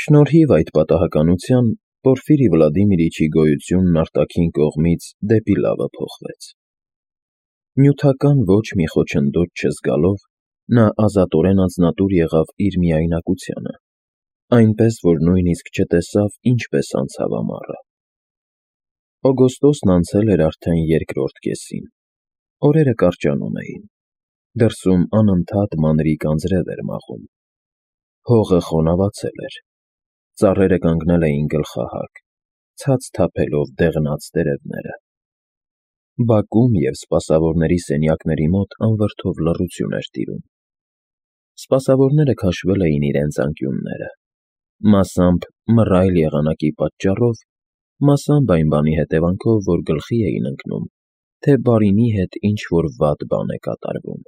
Շնորհիվ այդ պատահականության Պորֆիրի Վլադիմիրիչի գոյությունն արտաքին կողմից դեպի լավը փոխվեց. նյութական ոչ մի խոչընդոտ չզգալով, նա ազատորեն անձնատուր եղավ իր միայնակությանը, այնպես, որ նույնիսկ չտեսավ ինչպես անցավ ամառը։ Օգոստոսն անցել էր արդեն երկրորդ կեսին, օրերը կարճանում էին, դրսում անընդհատ մանրիկ անձրև էր մաղում, հողը խոնավացել էր, ծառերը կանգնել էին գլխահակ, ցած թափելով դեղնած տերևները։ Բակում և սպասավորների սենյակների մոտ անվրդով լռություն էր տիրում։ Սպասավորները քաշվել էին իրենց անկյունները, մասամբ մռայլ եղանակի պատճառով, մասամբ այն բանի հետևանքով, որ գլխի էին ընկնում, թե բարինի հետ ինչ-որ վատ բան է կատարվում։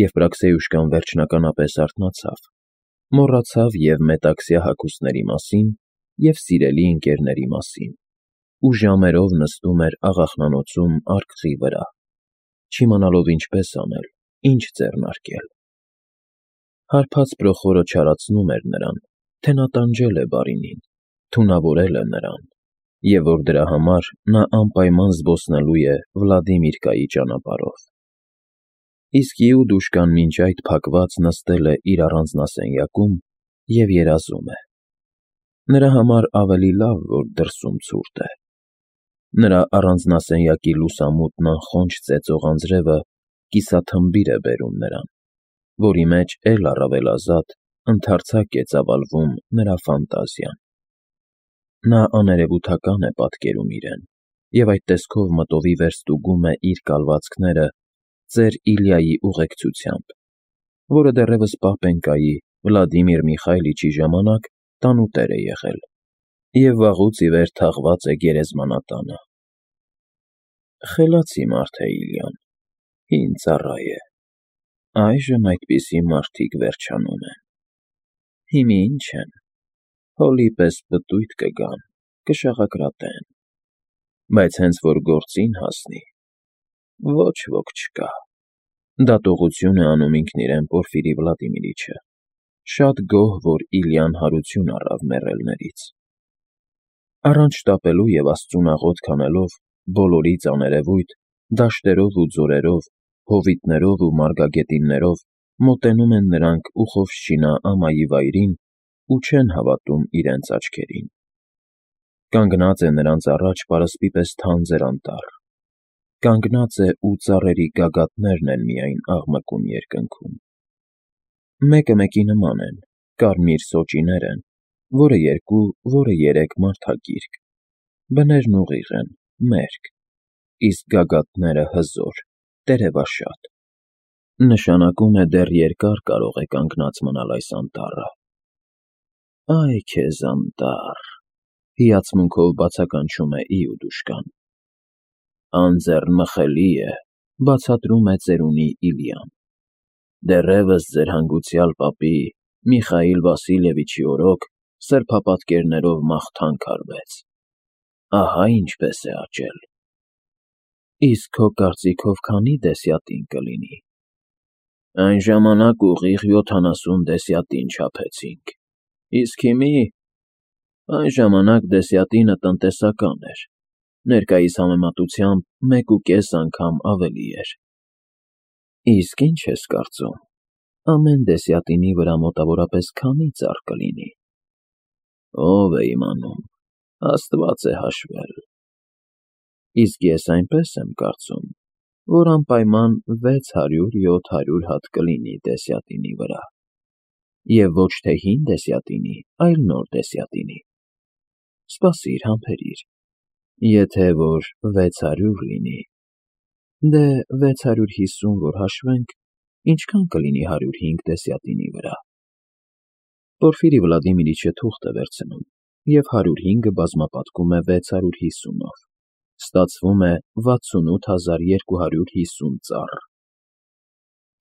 Եվպրաքսեյուշկան վերջնականապես արթնացավ, մոռացավ և մետաքսյա հագուստների մասին, և սիրելի ընկերների մասին, ու ժամերով նստում էր աղախնանոցում արկղի վրա, չիմանալով ինչպես անել, ինչ ձեռնարկել։ Հարբած պրոխորը չարացնում էր նրան, թե նա տանջել է բարինին, թունավորել է նրան, և որ դրա համար նա անպայման զբոսնելու է Վլադիմիրկայի ճանապարհով։ Իսկ Իուդուշկան մինչ այդ փակված նստել է իր առանձնասենյակում և երազում է։ Նրա համար ավելի լավ, որ դրսում ցուրտ է։ Նրա առանձնասենյակի լուսամուտն անխոնջ ծեծող անձրևը կիսաթմբիր է բերում նրան, որի մեջ էլ առավել ազատ, ընդարձակ է ծավալվում նրա ֆանտազիան։ Նա աներևութական է պատկերում իրեն, և այդ տեսքով մտովի վերստուգում է իր կալվածքները ծեր Իլյայի ուղեկցությամբ, որը դեռևս պապենկայի Վլադիմիր Միխայլիչի ժամանակ տանուտեր է եղել և վաղուց ի վեր թաղված է գերեզմանատանը։ Խելացի մարդ է Իլյան, հին ծառա է, այժմ այդպիսի մարդիկ վերջանում են։ Հիմա ինչ են, հոլի պես պտույտ կգան, կշաղակրատեն, բայց հենց որ գործին հասնի, ոչ ոք չկա։ Դատողություն է անում ինքն իրեն Պորֆիրի Վլադիմիրիչը, շատ գոհ, որ Իլյան հարություն առավ մեռելներից։ Առանց շտապելու և Աստծուն աղոթք անելով, բոլորից աներևույթ, դաշտերով ու ձորերով, հովիտներով ու մարգագետիններով մոտենում են նրանք Ուխովշչինա ամայի վայրին ու չեն հավատում իրենց աչքերին։ Կանգնած է նրանց առաջ պարսպի պես թանձր անտառ, կանգնած է ու ծառերի գագաթներն են միայն աղմկում երկնքում։ Մեկը մեկի նման են, կարմիր սոճիներ են, որը երկու, որը երեք մարդագիրկ, բներն ուղիղ են, մերկ, իսկ գագաթները հզոր, տերևաշատ։ Նշանակում է դեռ երկար կարող է կանգնած մնալ այս անտառը։ Այ քեզ անտառ, հիացմունքով բացականչում է Իուդուշկան։ Անձեռնմխելի է, բացատրում է ծերունի Իլյան։ Դեռևս ձեր հանգուցյալ պապի Միխայիլ Վասիլևիչի օրոք սրբապատկերներով մաղթանք արվեց։ Ահա ինչպես է աճել։ Իսկ քո կարծիքով քանի դեսյատին կլինի։ Այն ժամանակ ուղիղ 70 դեսյատին չափեցինք, իսկ հիմի… Այն ժամանակ դեսյատինը տնտեսական էր, ներկայիս համեմատությամբ 1.5 անգամ ավելի էր։ Իսկ ինչ ես կարծում, ամեն դեսյատինի վրա մոտավորապես քանի ծառ կլինի։ Ով է իմանում, Աստված է հաշվել։ Իսկ ես այնպես եմ կարծում, որ անպայման 600-700 հատ կլինի դեսյատինի վրա, և ոչ թե հին դեսյատինի, այլ նոր դեսյատինի։ Սպասիր, համբերիր, եթե որ 600 լինի, դե 650 որ հաշվենք, ինչքան կլինի 105 դեսյատինի վրա։ Պորֆիրի Վլադիմիրիչը թուղթ է վերցնում, և 105-ը բազմապատկում է 650-ով, ստացվում է 68250 ծառ։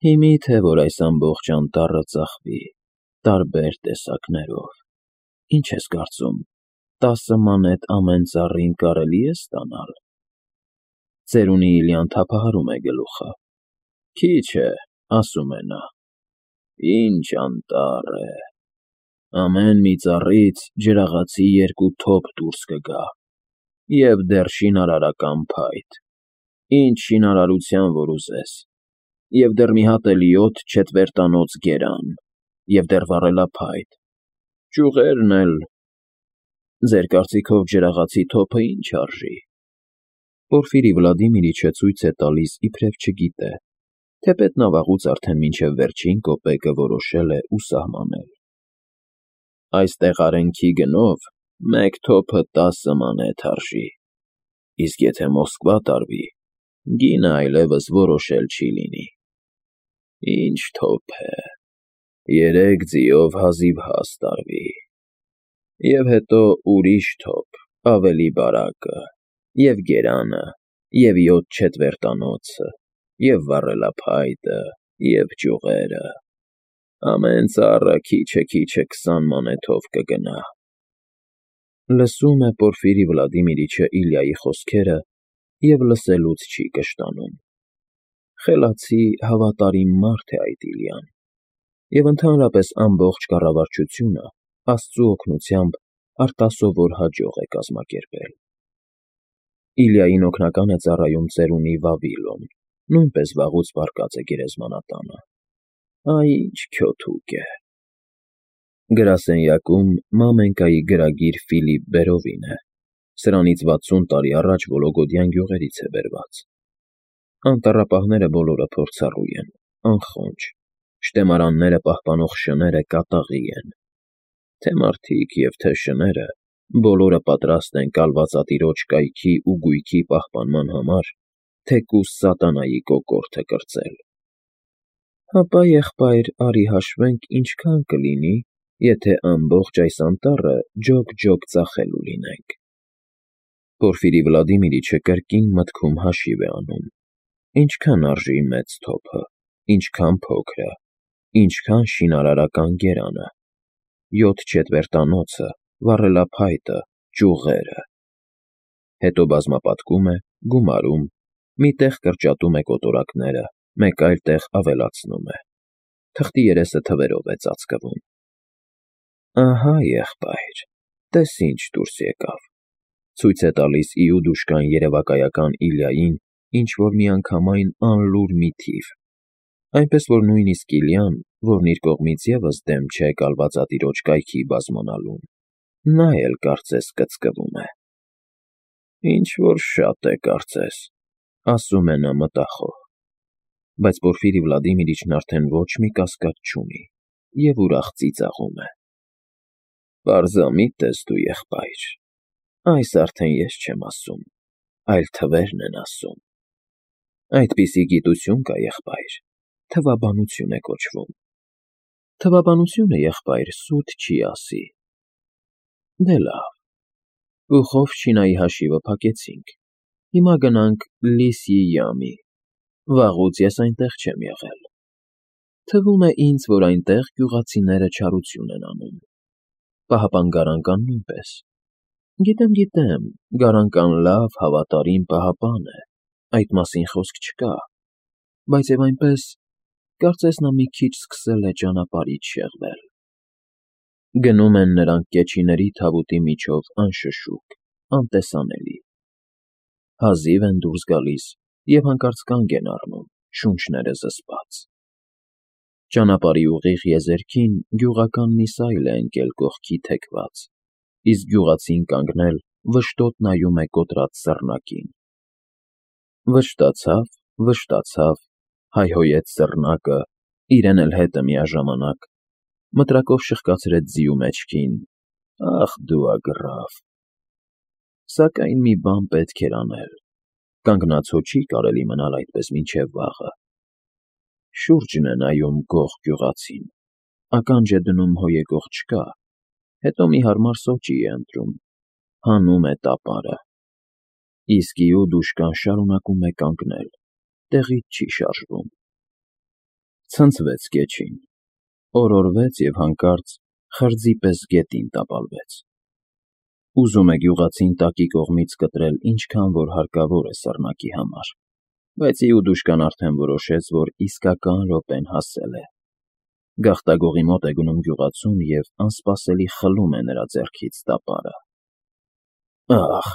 Հիմի թե որ այս ամբողջ անտառը ծախվի, տարբեր տեսակներով, ինչ ես կարծում, 10 մանետ ամեն ծառին կարելի է ստանալ։ Ծերունի Իլյան թափահարում է գլուխը։ Քիչ է, ասում է նա։ Ինչ անտառ է, Ամեն մի ծառից ջրաղացի 2 թոփ դուրս կգա, և դեռ շինարարական փայտ, ինչ շինարարության որ ուզես, և դեռ մի հատ էլ 7 չետվերտանոց գերան, և դեռ վառելափայտ, ճյուղերն էլ… Ձեր կարծիքով ջրաղացի թոփը ինչ արժի։ Պորֆիրի Վլադիմիրիչը ցույց է տալիս, իբրև չգիտե, թեպետ նա վաղուց արդեն մինչև վերջին կոպեկը որոշել է ու սահմանել։ Այստեղ արենքի գնով 1 թոփը 10 մանեթ արժի, իսկ եթե Մոսկվա տարվի, գինը այլևս որոշել չի լինի։ Ինչ թոփ է, 3 ձիով հազիվ հաս տարվի, և հետո ուրիշ թոփ, ավելի բարակը, և գերանը, և 7 չետվերտանոցը, և վառելափայտը, և ճյուղերը, ամեն ծառը քիչը 20 մանեթով կգնա։ Լսում է Պորֆիրի Վլադիմիրիչը Իլյայի խոսքերը և լսելուց չի կշտանում։ Խելացի, հավատարիմ մարդ է այդ Իլյան, և ընդհանրապես ամբողջ կառավարչությունը Աստծու օգնությամբ արտասովոր հաջող է կազմակերպել։ Իլյային օգնական է ծառայում ծերունի Վավիլոն, նույնպես վաղուց վարկած է գերեզմանատանը։ Այ ինչ քյոթուկ է։ Գրասենյակում Մամենկայի գրագիր Ֆիլիպ Բերովին է, սրանից 60 տարի առաջ Վոլոգոդյան գյուղերից է բերված։ Անտառապահները բոլորը փորձառու են, անխոնջ, շտեմարանները պահպանող շները կատաղի են, թե մարդիկ և թե շները բոլորը պատրաստ են կալվածատիրոջ կայքի ու գույքի պահպանման համար թեկուզ սատանայի կոկորդը կրծել։ Հապա, եղբայր, արի հաշվենք ինչքան կլինի, եթե ամբողջ այս անտառը ջոկ-ջոկ ծախելու լինենք։ Պորֆիրի Վլադիմիրիչը կրկին մտքում հաշիվ է անում. ինչքան արժի մեծ թոփը, ինչքան փոքրը, ինչքան շինարարական գերանը, 7 չետվերտանոցը, վառելափայտը, ճյուղերը։ Հետո բազմապատկում է, գումարում, մի տեղ կրճատում է կոտորակները, մեկ այլ տեղ ավելացնում է։ Թղթի երեսը թվերով է ծածկվում։ Ահա, եղբայր, տես ինչ դուրս եկավ, ցույց է տալիս իուդուշկան երևակայական Իլյային ինչ-որ միանգամայն անլուր մի թիվ, այնպես որ նույնիսկ Իլյան, որն իր կողմից ևս դեմ չէ կալվածատիրոջ կայքի բազմանալուն, նա էլ կարծես կծկվում է։ Ինչ-որ շատ է կարծես, ասում է նա մտախոհ, բայց Պորֆիրի Վլադիմիրիչն արդեն ոչ մի կասկած չունի և ուրախ ծիծաղում է։ Պարզամիտ ես դու, եղբայր, այս արդեն ես չեմ ասում, այլ թվերն են ասում։ Այդպիսի գիտություն կա, եղբայր, թվաբանություն է կոչվում։ Թվաբանությունը, եղբայր, սուտ չի ասի։ Դե լավ, Պուխովշչինայի հաշիվը փակեցինք, հիմա գնանք Լիսյի յամի, վաղուց ես այնտեղ չեմ եղել։ Թվում է ինձ, որ այնտեղ գյուղացիները չարություն են անում, պահապան նույնպես։ Գիտեմ, Գարանկան լավ, հավատարիմ պահապան է, այդ մասին խոսք չկա, բայց և այնպես, կարծես նա մի քիչ սկսել է ճանապարհից շեղվել։ Գնում են նրանք կեչիների թավուտի միջով անշշուկ, անտեսանելի։ Հազիվ են դուրս գալիս և հանկարծ կանգ են առնում, շունչները զսպած։ Ճանապարհի ուղիղ եզերքին գյուղական մի սայլ է ընկել կողքի թեքված, իսկ գյուղացին կանգնել վշտոտ նայում է կոտրած սռնակին։ Վշտացավ, հայհոյեց սռնակը, իրեն էլ հետը միաժամանակ, մտրակով շխկացրեց ձիու մեջքին. ախ դու ագռավ… Սակայն մի բան պետք էր անել, կանգնած հո չի կարելի մնալ այդպես մինչև վաղը։ Շուրջն է նայում գող գյուղացին, ականջ է դնում հո եկող չկա, հետո մի հարմար սոճի է ընտրում, հանում է տապարը։ Իսկ իուդուշկան շարունակում է կանգնել, տեղից չի շարժվում։ Ցնցվեց կեչին, օրորվեց և հանկարծ խրձի պես գետին տապալվեց։ Ուզում է գյուղացին տակի կողմից կտրել ինչքան որ հարկավոր է սռնակի համար, բայց իուդուշկան արդեն որոշեց, որ իսկական րոպեն հասել է։ Գաղտագողի մոտ է գնում գյուղացուն և անսպասելի խլում է նրա ձեռքից տապարը։ Ախ,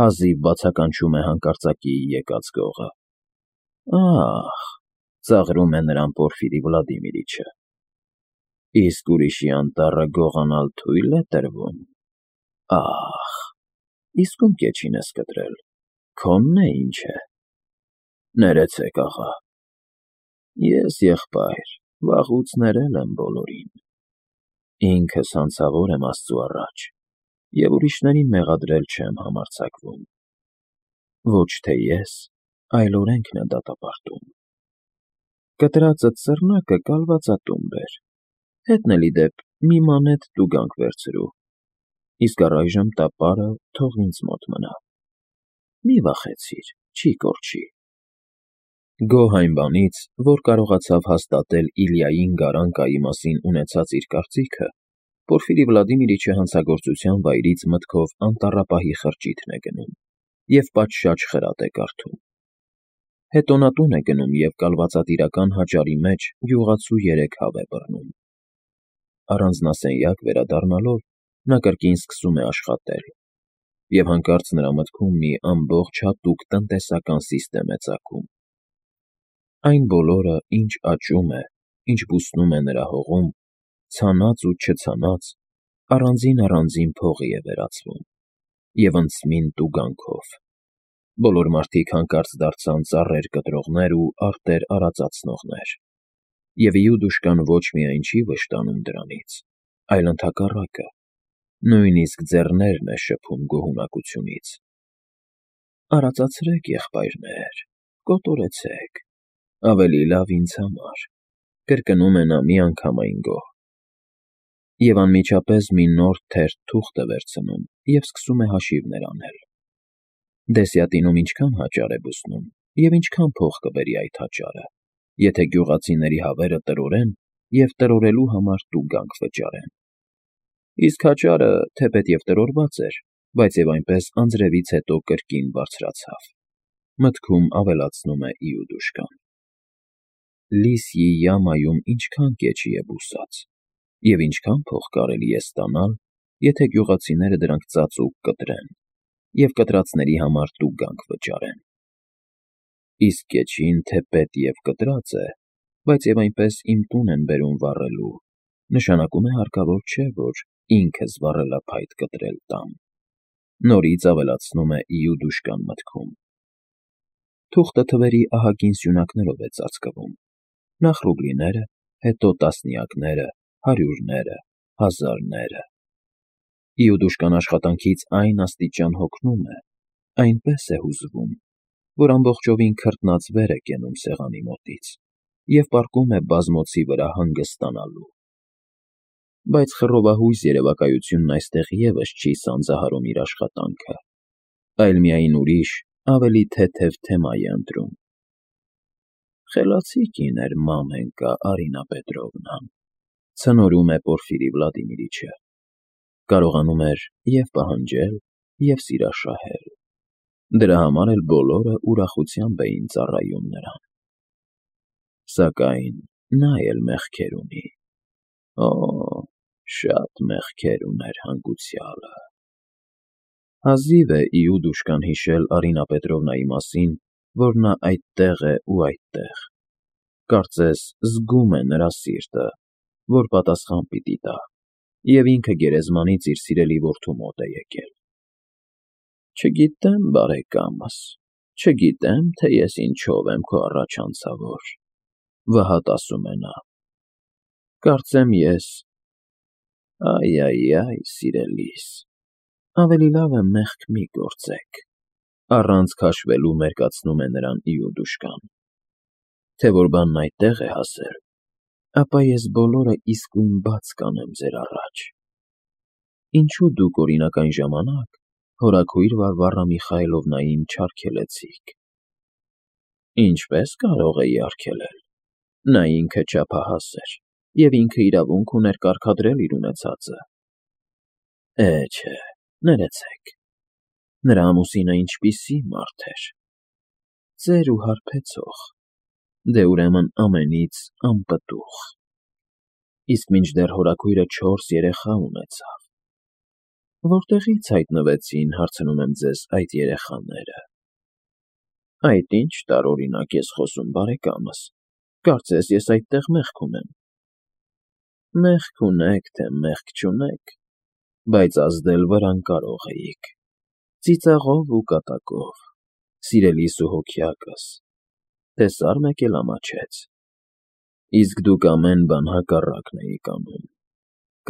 հազիվ բացականչում է հանկարծակիի եկած գողը։ Ախ, ծաղրում է նրան Պորֆիրի Վլադիմիրիչը։ Իսկ ուրիշի անտառը գողանալ թույլ է տրվում։ Ախ, իսկ ում կեչին ես կտրել, քոնն է ինչ է։ Ներեցեք, աղա։ Ես, եղբայր, վաղուց ներել եմ բոլորին։ Ինքս հանցավոր եմ Աստծու առաջ և ուրիշներին մեղադրել չեմ համարձակվում։ Ոչ թե ես, այլ օրենքն է դատապարտում։ Կտրածդ ծռնակը կալվածատուն բեր, հետն էլի դեպ մի մանեթ տուգանք վերցրու, իսկ առայժմ տապարը թող ինձ մոտ մնա։ Մի վախեցիր, չի կորչի։ Գոհ այն բանից, որ կարողացավ հաստատել Իլյային Գարանկայի մասին ունեցած իր կարծիքը, Պորֆիրի Վլադիմիրիչը հանցագործության վայրից մտքով անտառապահի խրճիթն է գնում և պատշաճ խրատ է կարդում։ Հետո նա տուն է գնում և կալվածատիրական հաճարի մեջ գյուղացու 3 հավ է բռնում։ Առանձնասենյակ վերադառնալով նա կրկին սկսում է աշխատել, և հանկարծ նրա մտքում մի ամբողջ հատուկ տնտեսական սիստեմ է ծագում։ Այն բոլորը, ինչ աճում է, ինչ բուսնում է նրա հողում, ցանած ու չցանած, առանձին փողի է վերածվում և ընծմին տուգանքով։ Բոլոր մարդիկ հանկարծ դարձան ծառեր կտրողներ ու արտեր արածացնողներ։ Եվ Իուդուշկան ոչ միայն չի վշտանում դրանից, այլ ընդհակառակը, նույնիսկ ձեռներն է շփում գոհունակությունից։ Արածացրեք, եղբայրներ, կոտորեցեք, ավելի լավ ինձ համար, կրկնում է նա միանգամայն գոհ։ Եվ անմիջապես մի նոր թերթ թուղթ է վերցնում և սկսում է հաշիվներ անել։ Դեսյատինում ինչքան հաճար է բուսնում և ինչքան փող կբերի այդ հաճարը, եթե գյուղացիների հավերը տրորեն և տրորելու համար տուգանք վճարեն։ Իսկ հաճարը, թեպետ և տրորված էր, բայց և այնպես անձրևից հետո կրկին բարձրացավ, մտքում ավելացնում է Իուդուշկան։ Լիսյի յամայում ինչքան կեչի է բուսած, և ինչքան փող կարելի է ստանալ, եթե գյուղացիները դրանք ծածուկ կտրեն և կտրածների համար տուգանք վճարեն։ Իսկ կեչին թեպետ և կտրած է, բայց և այնպես իմ տուն են բերում վառելու, նշանակում է հարկավոր չէ, որ ինքս վառելափայտ կտրել տամ, նորից ավելացնում է Իուդուշկան մտքում։ Թուղթը թվերի ահագին սյունակներով է ծածկվում, նախ ռուբլիները, հետո տասնյակները, հարյուրները, հազարները։ Իուդուշկան աշխատանքից այն աստիճան հոգնում է, այնպես է հուզվում, որ ամբողջովին քրտնած վեր է կենում սեղանի մոտից և պառկում է բազմոցի վրա հանգստանալու։ Բայց խռովահույս երևակայությունն այստեղ ևս չի սանձահարում իր աշխատանքը, այլ միայն ուրիշ, ավելի թեթև թեմա է ընտրում։ Խելացի կին էր մամենկա Արինա Պետրովնան, ցնորում է Պորֆիրի Վլադիմիրիչը։ Կարողանում էր և պահանջել, և սիրաշահել։ Դրա համար էլ բոլորը ուրախությամբ էին ծառայում նրան։ Սակայն նա էլ մեղքեր ունի։ Օ, շատ մեղքեր ուներ հանգուցյալը։ Հազիվ է Իուդուշկան հիշել Արինա Պետրովնայի մասին, որ նա այդտեղ է ու այդտեղ։ Կարծես զգում է նրա սիրտը, որ պատասխան պիտի տա, և ինքը գերեզմանից իր սիրելի որդու մոտ է եկել։ Չգիտեմ, բարեկամս, չգիտեմ, թե ես ինչով եմ քո առաջ անցավոր, վհատ ասում է նա։ Կարծեմ ես… Այ, սիրելիս, ավելի լավ է մեղք մի գործեք, առանց քաշվելու մերկացնում է նրան Իուդուշկան։ Թե որ բանն այդտեղ է հասել, ապա ես բոլորը իսկույն բաց կանեմ ձեր առաջ։ Ինչու դուք, օրինակ, այն ժամանակ հորաքույր Վարվառա Միխայիլովնային չարգելեցիք։ Ինչպե՞ս կարող էի արգելել։ Նա ինքը չափահաս էր, և ինքը իրավունք ուներ կարգադրել իր ունեցածը։ Չէ, ներեցեք, նրա ամուսինը ինչպիսի մարդ էր։ Ծեր ու հարբեցող, դե ուրեմն ամենից անպտուղ։ իսկ մինչդեռ հորաքույրը 4 երեխա ունեցավ։ Որտեղի՞ց հայտնվեցին, հարցնում եմ ձեզ, այդ երեխաները։ Այդ ինչ տարօրինակ ես խոսում, բարեկամս, կարծես ես այդտեղ մեղք ունեմ։ Մեղք ունեք, թե մեղք չունեք, բայց ազդել վրան կարող էիք, ծիծաղով ու կատակով, սիրելիս ու հոգյակս, տեսար մեկ էլ ամաչեց, իսկ դուք ամեն բան հակառակն էիք անում,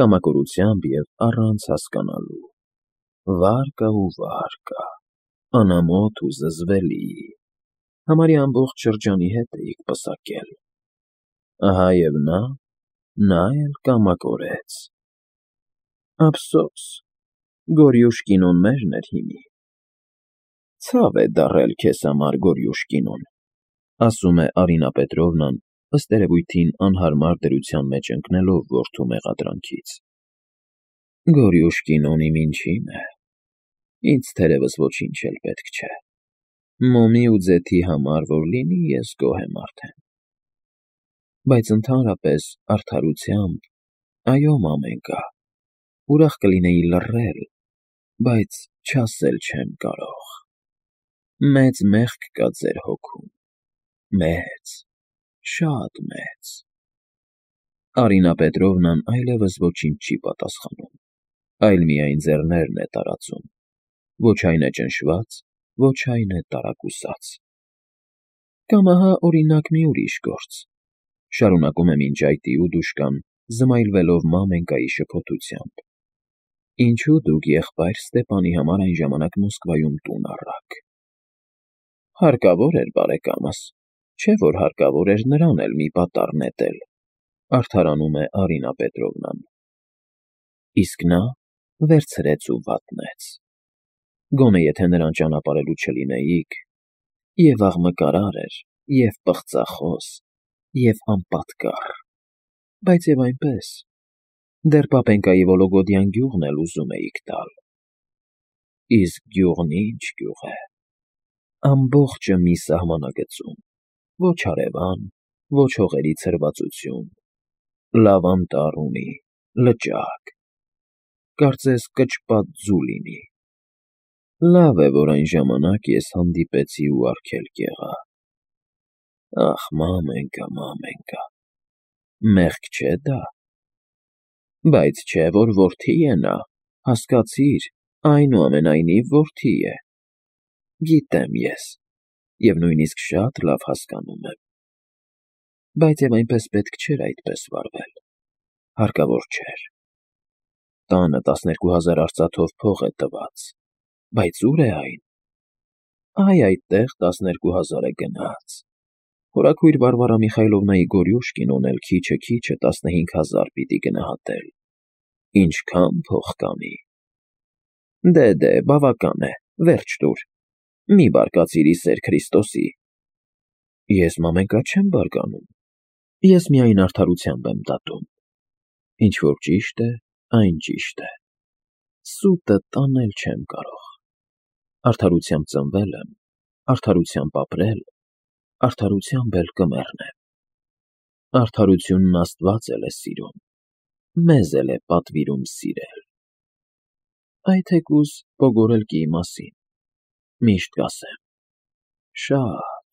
կամակորությամբ և առանց հասկանալու, վարկա ու վարկա, անամոթ ու զզվելի, համարյա ամբողջ շրջանի հետ էիք պսակել, ահա և նա էլ կամակորեց։ Ափսոս, Գորյուշ կինոն մերն էր հիմի։ Ցավ է դառել քեզ համար, Գորյուշ կինոն, ասում է Արինա Պետրովնան, ըստ երևույթին անհարմար դրության մեջ ընկնելով որդու մեղադրանքից։ Գորյուշ կինոն իմ ինչին է, ինձ թերևս ոչինչ էլ պետք չէ, մոմի ու ձեթի համար որ լինի, ես գոհ եմ արդեն։ Բայց ընդհանրապես արդարությամբ, այո, մամենկա, ուրախ կլինեի լռել, բայց չասել չեմ կարող։ Մեծ մեղք կա ձեր հոգում, մեծ, շատ մեծ։ Արինա Պետրովնան այլևս ոչինչ չի պատասխանում, այլ միայն ձեռներն է տարածում, ոչ այն է ճնշված, ոչ այն է տարակուսած։ Կամ ահա օրինակ մի ուրիշ գործ, շարունակում է մինչ այդ Իուդուշկան, զմայլվելով մամենկայի շփոթությամբ։ Ինչու դուք եղբայր Ստեպանի համար այն ժամանակ Մոսկվայում տուն առաք։ Հարկավոր էր, բարեկամս, չէ՞ որ հարկավոր էր նրան էլ մի պատառ նետել, արդարանում է Արինա Պետրովնան։ Իսկ նա վերցրեց ու վատնեց։ Գոնե եթե նրան ճանապարհելու չլինեիք, և աղմկարար էր, և պղծախոս, և անպատկառ, բայց և այնպես, դեռ Պապենկայի Վոլոգոդյան գյուղն էլ ուզում էիք տալ։ Իսկ գյուղն ինչ գյուղ է, ամբողջը մի սահմանագծում, ոչ հարևան, ոչ հողերի ցրվածություն, լավ անտառ ունի, լճակ, կարծես կճպատ ձու լինի։ Լավ է, որ այն ժամանակ ես հանդիպեցի ու արգելք եղա։ Ախ, մամենկա, մամենկա, մեղք չէ դա։ Բայց չէ, որ որդի է նա, հասկացիր, այնուամենայնիվ որդի է։ Գիտեմ ես, և նույնիսկ շատ լավ հասկանում եմ։ Բայց և այնպես պետք չէր այդպես վարվել, հարկավոր չէր։ Տանը 12,000 արծաթով փող է տված, բայց ո՞ւր է այն։ Այ այդտեղ 12,000-ը գնաց։ Հորաքույր Վարվարա Միխայլովնայի Գորյուշկին էլ քիչը 15,000 պիտի գնահատել։ Ինչքան փող կանի։ Դե, բավական է, վերջ տուր, մի բարկացիր ի սեր Քրիստոսի։ Ես մամենկա չեմ բարկանում, ես միայն արդարությամբ եմ դատում։ Ինչ որ ճիշտ է, այն ճիշտ է։ Սուտը տանել չեմ կարող։ Արդարությամբ ծնվել եմ, արդարությամբ ապրել, արդարությամբ էլ կմեռնեմ։ Արդարությունն Աստված էլ է սիրում, մեզ էլ է պատվիրում սիրել։ Այ թեկուզ Պոգորելկիի մասին, միշտ կասեմ, շատ,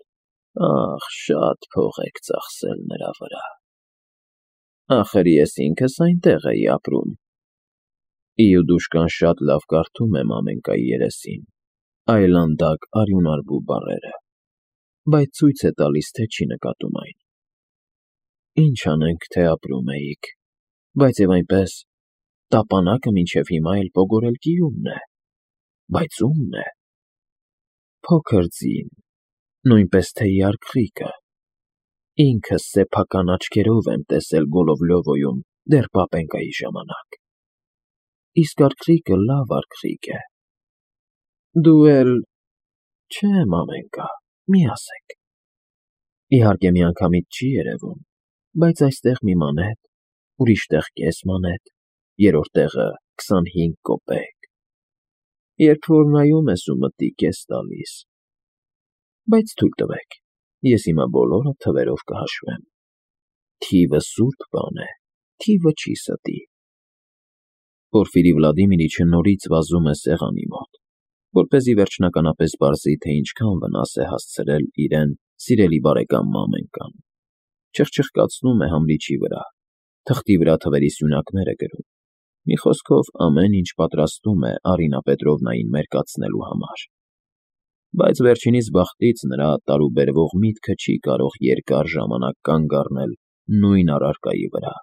ախ, շատ փող եք ծախսել նրա վրա։ Ախր ես ինքս այնտեղ էի ապրում։ Իուդուշկան շատ լավ կարդում է մամենկայի երեսին, այլանդակ արյունարբու բառերը, բայց ցույց է տալիս, թե չի նկատում այն։ Ինչ անենք, թե ապրում էիք, բայց և այնպես, տապանակը մինչև հիմա էլ Պոգորելկիումն է, բայց ո՞ւմն է։ Փոքր ձին, նույնպես թե արքղիկը, ինքս սեփական աչքերով եմ տեսել Գոլովլյովոյում դեռ Պապենկայի ժամանակ։ Իսկ արքղիկը լավ արքղիկ է։ Դու էլ… Չէ, մամենկա, մի ասեք։ Իհարկե միանգամից չի երևում, բայց այստեղ մի մանետ, ուրիշ տեղ կես մանետ, երրորդ տեղը 25 կոպեկ։ Երբ որ նայում ես ու մտիկ ես տալիս։ Բայց թույլ տվեք, ես հիմա բոլորը թվերով կհաշվեմ։ Թիվը սուրբ բան է, թիվը չի ստի։ Պորֆիրի Վլադիմիրիչը նորից վազում է սեղանի մոտ, որպեսզի վերջնականապես պարզի, թե ինչքան վնաս է հասցրել իրեն սիրելի բարեկամ Մամենկան, չխչխկացնում է համրիչի վրա, թղթի վրա թվերի սյունակներ է գրում, մի խոսքով ամեն ինչ պատրաստում է Արինա Պետրովնային մերկացնելու համար, բայց վերջինիս բախտից նրա տարուբերվող միտքը չի կարող երկար ժամանակ կանգ առնել նույն առարկայի վրա։